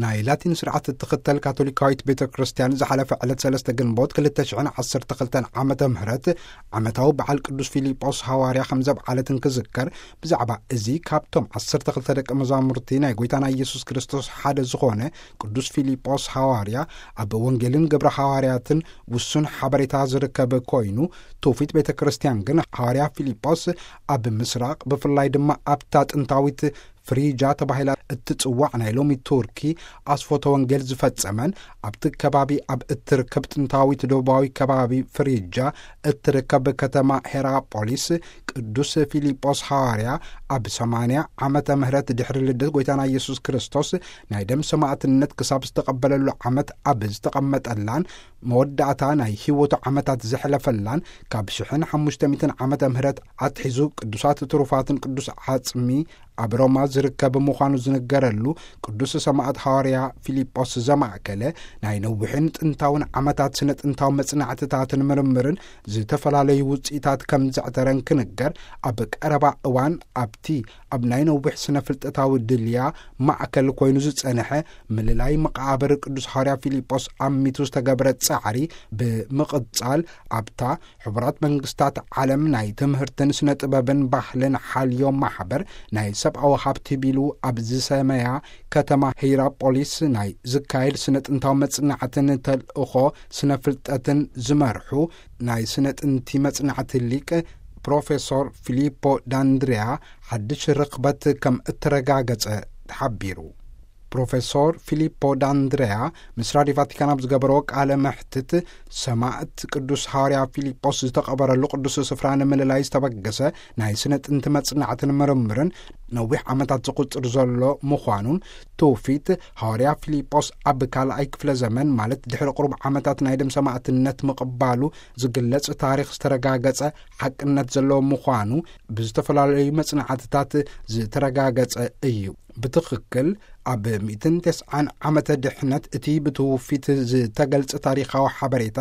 ናይ ላቲን ስርዓት እትኽተል ካቶሊካዊት ቤተ ክርስቲያን ዝሓለፈ ዕለት ሰለስተ ግንቦት ክልተ ሽሕን ዓሰርተ ክልተን ዓመተ ምህረት ዓመታዊ በዓል ቅዱስ ፊልጶስ ሃዋርያ ከም ዘብዓለት እንክዝከር፣ ብዛዕባ እዚ ካብቶም ዓሰርተ ክልተ ደቀ መዛሙርቲ ናይ ጎይታና ኢየሱስ ክርስቶስ ሓደ ዝኾነ ቅዱስ ፊልጶስ ሃዋርያ ኣብ ወንጌልን ግብረ ሃዋርያትን ውሱን ሓበሬታ ዝርከብ ኮይኑ፣ ትውፊት ቤተ ክርስቲያን ግን ሃዋርያ ፊልጶስ ኣብ ምስራቕ፣ ብፍላይ ድማ ኣብታ ጥንታዊት ፍሪጃ ተባሂላ እትጽዋዕ ናይ ሎሚ ቱርኪ ኣስፎተ ወንጌል ዝፈጸመን፣ ኣብቲ ከባቢ ኣብ እትርከብ ጥንታዊት ደቡባዊ ከባቢ ፍሪጃ እትርከብ ከተማ ሄራፖሊስ ቅዱስ ፊልጶስ ሃዋርያ ኣብ ሰማንያ ዓመተ ምህረት ድሕሪ ልደት ጎይታና ኢየሱስ ክርስቶስ ናይ ደም ሰማዕትነት ክሳብ ዝተቐበለሉ ዓመት ኣብ ዝተቐመጠላን መወዳእታ ናይ ህይወቱ ዓመታት ዘሕለፈላን ካብ ሽሕን ሓሙሽተ ሚእትን ዓመተ ምህረት ኣትሒዙ ቅዱሳት ትሩፋትን ቅዱስ ዓጽሚ ኣብ ሮማ ዝርከብ ምዃኑ ዝንገረሉ ቅዱስ ሰማዕት ሃዋርያ ፊልጶስ ዘማእከለ ናይ ነዊሕን ጥንታውን ዓመታት ስነ ጥንታዊ መጽናዕትታትን ምርምርን ዝተፈላለዩ ውጽኢታት ከም ዘዕተረን ክንገር፣ ኣብ ቀረባ እዋን ኣብቲ ኣብ ናይ ነዊሕ ስነ ፍልጠታዊ ድልያ ማእከል ኮይኑ ዝጸንሐ ምልላይ መቃብር ቅዱስ ሃዋርያ ፊልጶስ ኣሚቱ ዝተገብረ ጻዕሪ ብምቕጻል፣ ኣብታ ሕቡራት መንግስታት ዓለም ናይ ትምህርትን ስነ ጥበብን ባህልን ሓልዮ ማሕበር ናይ ሰብኣዊ ሃብቲ ቢሉ ኣብ ዝሰመያ ከተማ ሂራፖሊስ ናይ ዝካየድ ስነ ጥንታዊ መጽናዕትን ተልእኾ ስነ ፍልጠትን ዝመርሑ ናይ ስነ ጥንቲ መጽናዕቲ ሊቅ ፕሮፌሶር ፊሊፖ ዳንድሪያ ሓድሽ ርኽበት ከም እተረጋገጸ ተሓቢሩ። ፕሮፌሶር ፊሊፖ ዳንድሪያ ምስ ራዲዮ ቫቲካን ኣብ ዝገበሮ ቃለ መሕትት፣ ሰማዕት ቅዱስ ሃዋርያ ፊልጶስ ዝተቐበረሉ ቅዱስ ስፍራ ንምልላይ ዝተበገሰ ናይ ስነ ጥንቲ መጽናዕትን ምርምርን ነዊሕ ዓመታት ዝቑጽር ዘሎ ምዃኑን፣ ትውፊት ሃዋርያ ፊልጶስ ኣብ ካልኣይ ክፍለ ዘመን፣ ማለት ድሕሪ ቁሩብ ዓመታት ናይ ደም ሰማዕትነት ምቕባሉ ዝግለጽ ታሪኽ ዝተረጋገጸ ሓቅነት ዘለዎ ምዃኑ ብዝተፈላለዩ መጽናዕትታት ዝተረጋገጸ እዩ። ብትኽክል ኣብ ሚእትን ተስዓን ዓመተ ድሕነት እቲ ብትውፊት ዝተገልጸ ታሪኻዊ ሓበሬታ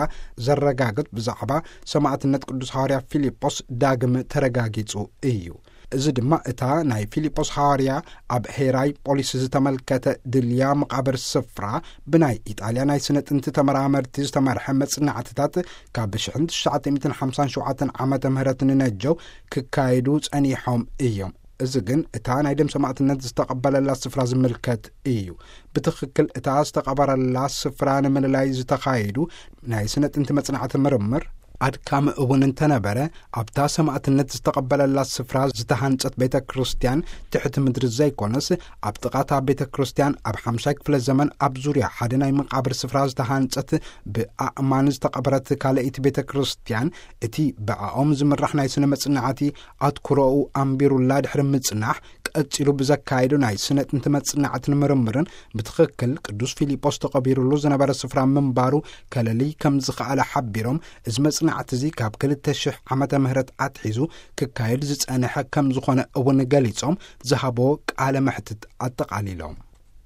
ዘረጋግጽ ብዛዕባ ሰማዕትነት ቅዱስ ሃዋርያ ፊልጶስ ዳግም ተረጋጊጹ እዩ። እዚ ድማ እታ ናይ ፊልጶስ ሃዋርያ ኣብ ሄራይ ፖሊስ ዝተመልከተ ድልያ መቓብር ስፍራ ብናይ ኢጣልያ ናይ ስነ ጥንቲ ተመራመርቲ ዝተመርሐ መጽናዕትታት ካብ ሽሕን ትሽዓተ ሚእትን ሓምሳን ሸውዓተን ዓመተ ምህረት ንነጀው ክካየዱ ጸኒሖም እዮም። እዚ ግን እታ ናይ ደም ሰማዕትነት ዝተቐበለላ ስፍራ ዝምልከት እዩ። ብትኽክል እታ ዝተቐበረላ ስፍራ ንምልላይ ዝተኻየዱ ናይ ስነ ጥንቲ መጽናዕቲ ምርምር ኣድካሚ እውን እንተነበረ፣ ኣብታ ሰማዕትነት ዝተቐበለላ ስፍራ ዝተሃንጸት ቤተ ክርስቲያን ትሕቲ ምድሪ ዘይኮነስ፣ ኣብ ጥቓታ ቤተ ክርስቲያን ኣብ ሓምሻይ ክፍለ ዘመን ኣብ ዙርያ ሓደ ናይ መቓብር ስፍራ ዝተሃንጸት ብኣእማን ዝተቐበረት ካልኣይቲ ቤተ ክርስቲያን፣ እቲ ብኣኦም ዝምራሕ ናይ ስነ መጽናዕቲ ኣትኩሮኡ ኣንቢሩላ ድሕሪ ምጽናሕ፣ ቀጺሉ ብዘካየዶ ናይ ስነ ጥንቲ መጽናዕትን ምርምርን ብትኽክል ቅዱስ ፊልጶስ ተቐቢሩሉ ዝነበረ ስፍራ ምንባሩ ከለሊ ከም ዝኸኣለ ሓቢሮም፣ እዚ መጽናዕቲ እዚ ካብ ክልተ ሽሕ ዓመተ ምህረት ኣትሒዙ ክካየድ ዝጸንሐ ከም ዝኾነ እውን ገሊጾም፣ ዝሃቦ ቃለ መሕትት ኣጠቓሊሎም።